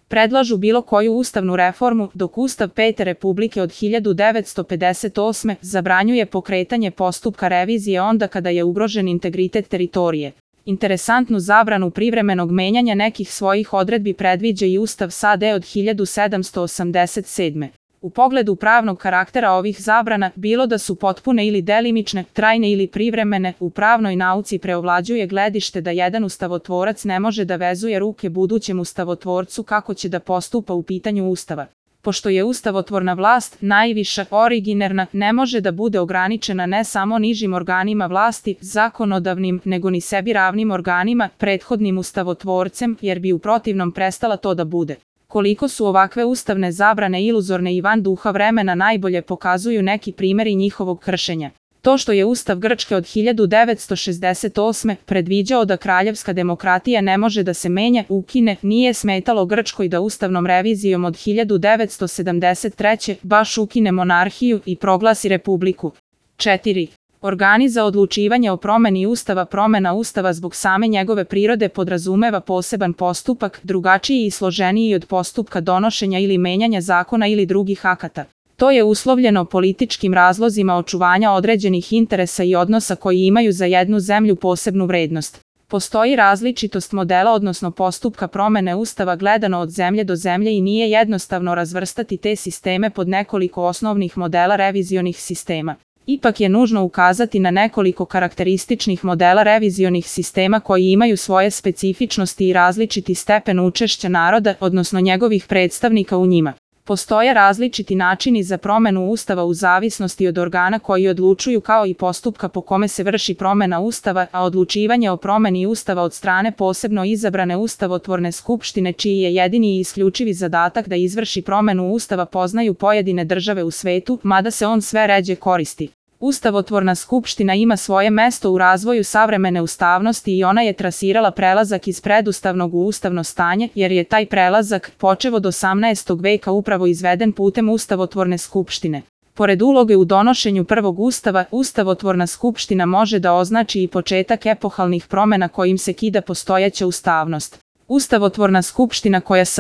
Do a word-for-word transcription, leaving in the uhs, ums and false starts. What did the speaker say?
predlažu bilo koju ustavnu reformu, dok Ustav Pete Republike od hiljadu devetsto pedeset osme zabranjuje pokretanje postupka revizije onda kada je ugrožen integritet teritorije. Interesantnu zabranu privremenog menjanja nekih svojih odredbi predviđa i Ustav S A D od hiljadu sedamsto osamdeset sedme. U pogledu pravnog karaktera ovih zabrana, bilo da su potpune ili delimične, trajne ili privremene, u pravnoj nauci preovlađuje gledište da jedan ustavotvorac ne može da vezuje ruke budućem ustavotvorcu kako će da postupa u pitanju Ustava. Pošto je ustavotvorna vlast najviša, originarna, ne može da bude ograničena ne samo nižim organima vlasti, zakonodavnim, nego ni sebi ravnim organima, prethodnim ustavotvorcem, jer bi u protivnom prestala to da bude. Koliko su ovakve ustavne zabrane iluzorne i van duha vremena najbolje pokazuju neki primeri njihovog kršenja. To što je Ustav Grčke od hiljadu devetsto šezdeset osme predviđao da kraljevska demokratija ne može da se menja, ukine, nije smetalo Grčkoj da ustavnom revizijom od hiljadu devetsto sedamdeset treće baš ukine monarhiju i proglasi republiku. četiri. Organi za odlučivanje o promeni Ustava. Promena Ustava zbog same njegove prirode podrazumeva poseban postupak, drugačiji i složeniji od postupka donošenja ili menjanja zakona ili drugih akata. To je uslovljeno političkim razlozima očuvanja određenih interesa i odnosa koji imaju za jednu zemlju posebnu vrednost. Postoji različitost modela odnosno postupka promene Ustava gledano od zemlje do zemlje i nije jednostavno razvrstati te sisteme pod nekoliko osnovnih modela revizionih sistema. Ipak je nužno ukazati na nekoliko karakterističnih modela revizionih sistema koji imaju svoje specifičnosti i različiti stepen učešća naroda, odnosno njegovih predstavnika u njima. Postoje različiti načini za promenu Ustava u zavisnosti od organa koji odlučuju kao i postupka po kome se vrši promena Ustava, a odlučivanje o promeni Ustava od strane posebno izabrane ustavotvorne skupštine čiji je jedini i isključivi zadatak da izvrši promenu Ustava poznaju pojedine države u svetu, mada se on sve ređe koristi. Ustavotvorna skupština ima svoje mesto u razvoju savremene ustavnosti i ona je trasirala prelazak iz predustavnog u ustavno stanje, jer je taj prelazak, počev od osamnaestog veka, upravo izveden putem ustavotvorne skupštine. Pored uloge u donošenju prvog ustava, ustavotvorna skupština može da označi i početak epohalnih promena kojim se kida postojeća ustavnost. Ustavotvorna skupština koja s